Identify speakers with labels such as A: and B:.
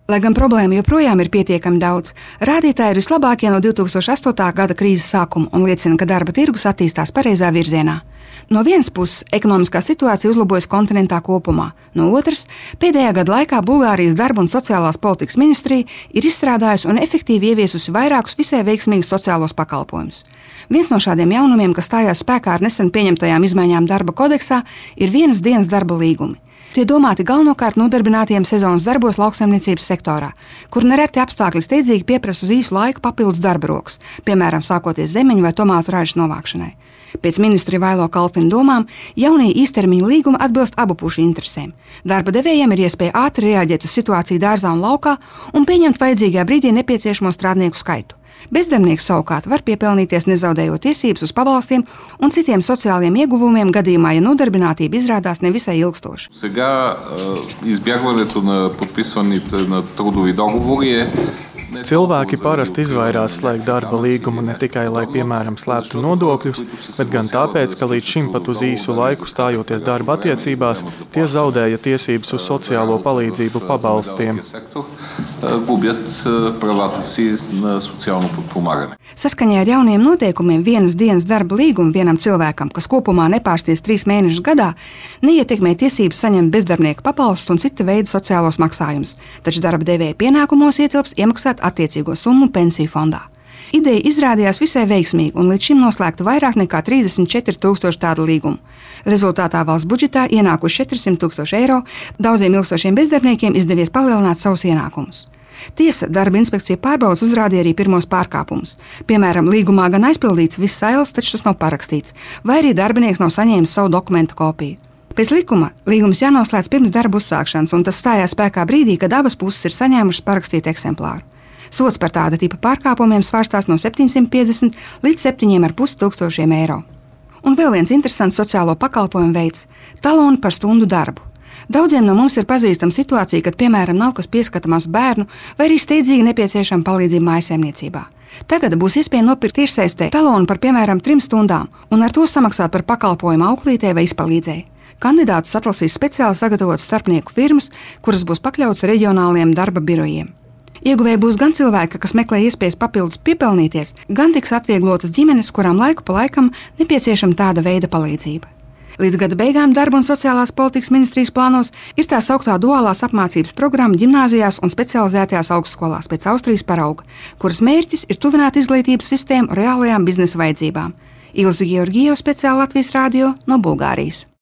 A: Lai gan problēmu joprojām ir pietiekami daudz, rādītāji ir vislabākie no 2008. gada krīzes sākuma un liecina, ka darba tirgus attīstās pareizā virzienā. No vienas puses, ekonomiskā situācija uzlabojas kontinentā kopumā, no otras, pēdējā gada laikā Bulgārijas darba un sociālās politikas ministrija ir izstrādājusi un efektīvi ieviesusi vairākus visai veiksmīgus sociālos pakalpojumus. Viens no šādiem jaunumiem, kas stājās spēkā ar nesen pieņemtajām izmaiņām darba kodeksā, ir vienas dienas darba līgumi. Tie domāti galvenokārt nodarbinātiem sezonas darbos lauksaimniecības sektorā, kur nereti apstākļi steidzīgi pieprasa uz īsu laiku papildus darba rokas, piemēram, sākoties zemeņu vai tomātu ražas novākšanai. Pēc ministra Vailo Kalfina domām, jaunie īstermiņa līgumi atbilst abu pušu interesēm. Darba devējiem ir iespēja ātri reaģēt uz situāciju dārzā un laukā un pieņemt vajadzīgajā brīdī nepieciešamo strādnieku skaitu. Bezdarbnieks savukārt var piepelnīties nezaudējot tiesības uz pabalstiem un citiem sociāliem ieguvumiem gadījumā, ja nodarbinātība izrādās nevisai ilgstoša.
B: Сега избягването на подписваните на трудови договори е
C: Cilvēki parasti izvairās slēgt darba līgumu ne tikai, lai, piemēram, slēptu nodokļus, bet gan tāpēc, ka līdz šim pat uz īsu laiku stājoties darba attiecībās, tie zaudēja tiesības uz sociālo palīdzību pabalstiem.
A: Saskaņā ar jauniem noteikumiem vienas dienas darba līgumu vienam cilvēkam, kas kopumā nepārsties 3 mēnešus gadā, neietekmē tiesības saņemt bezdarbnieka pabalstus un cita veida sociālos maksājumus, taču darba devēja pienākumos ietilpst iemaksāt attiecīgo summu pensiju fondā. Ideja izrādījās visai veiksmīga un līdz šim noslēgta vairāk nekā 34,000 tādu līgumu. Rezultātā valsts budžetā ienākuši 400,000 eiro, daudziem ilgstošiem bezdarbniekiem izdevies palielināt savus ienākumus. Tiesa, darba inspekcija pārbaudas uzrādīja arī pirmos pārkāpumus. Piemēram, līgumā gan aizpildīts viss sails, taču tas nav parakstīts, vai arī darbinieks nav saņēmis savu dokumentu kopiju. Pēc likuma līgums jānoslēdz pirms darba uzsākšanas, un tas stājās spēkā brīdī, kad abas puses ir saņēmušas parakstītu eksemplāru. Sots par tāda tipa pārkāpumiem svārstās no 750 līdz 7,500 eiro. Un vēl viens interesants sociālo pakalpojumu veids – taloni par stundu darbu. Daudziem no mums ir pazīstama situācija, kad, piemēram, nav kas pieskata mazu bērnu vai arī steidzīgi nepieciešama palīdzība mājsaimniecībā. Tagad būs iespēja nopirkt tiešsaistē talonu par, piemēram, 3 stundām un ar to samaksāt par pakalpojumu auklītei vai izpalīdzēji. Kandidātus atlasīs speciāli sagatavotas starpnieku firmas, kuras būs pakļautas reģionāliem darba birojiem. Ieguvēji būs gan cilvēki, kas meklē iespējas papildus piepelnīties, gan tiks atvieglotas ģimenes, kurām laiku pa laikam nepieciešama tāda veida palīdzība. Līdz gada beigām Darba un sociālās politikas ministrijas plānos ir tā sauktā duālās apmācības programma ģimnāzijās un specializētajās augstskolās pēc Austrijas parauga, kuras mērķis ir tuvināt izglītības sistēmu reālajām biznesa vajadzībām. Ilze Georgijeva, speciāli Latvijas radio no Bulgārijas.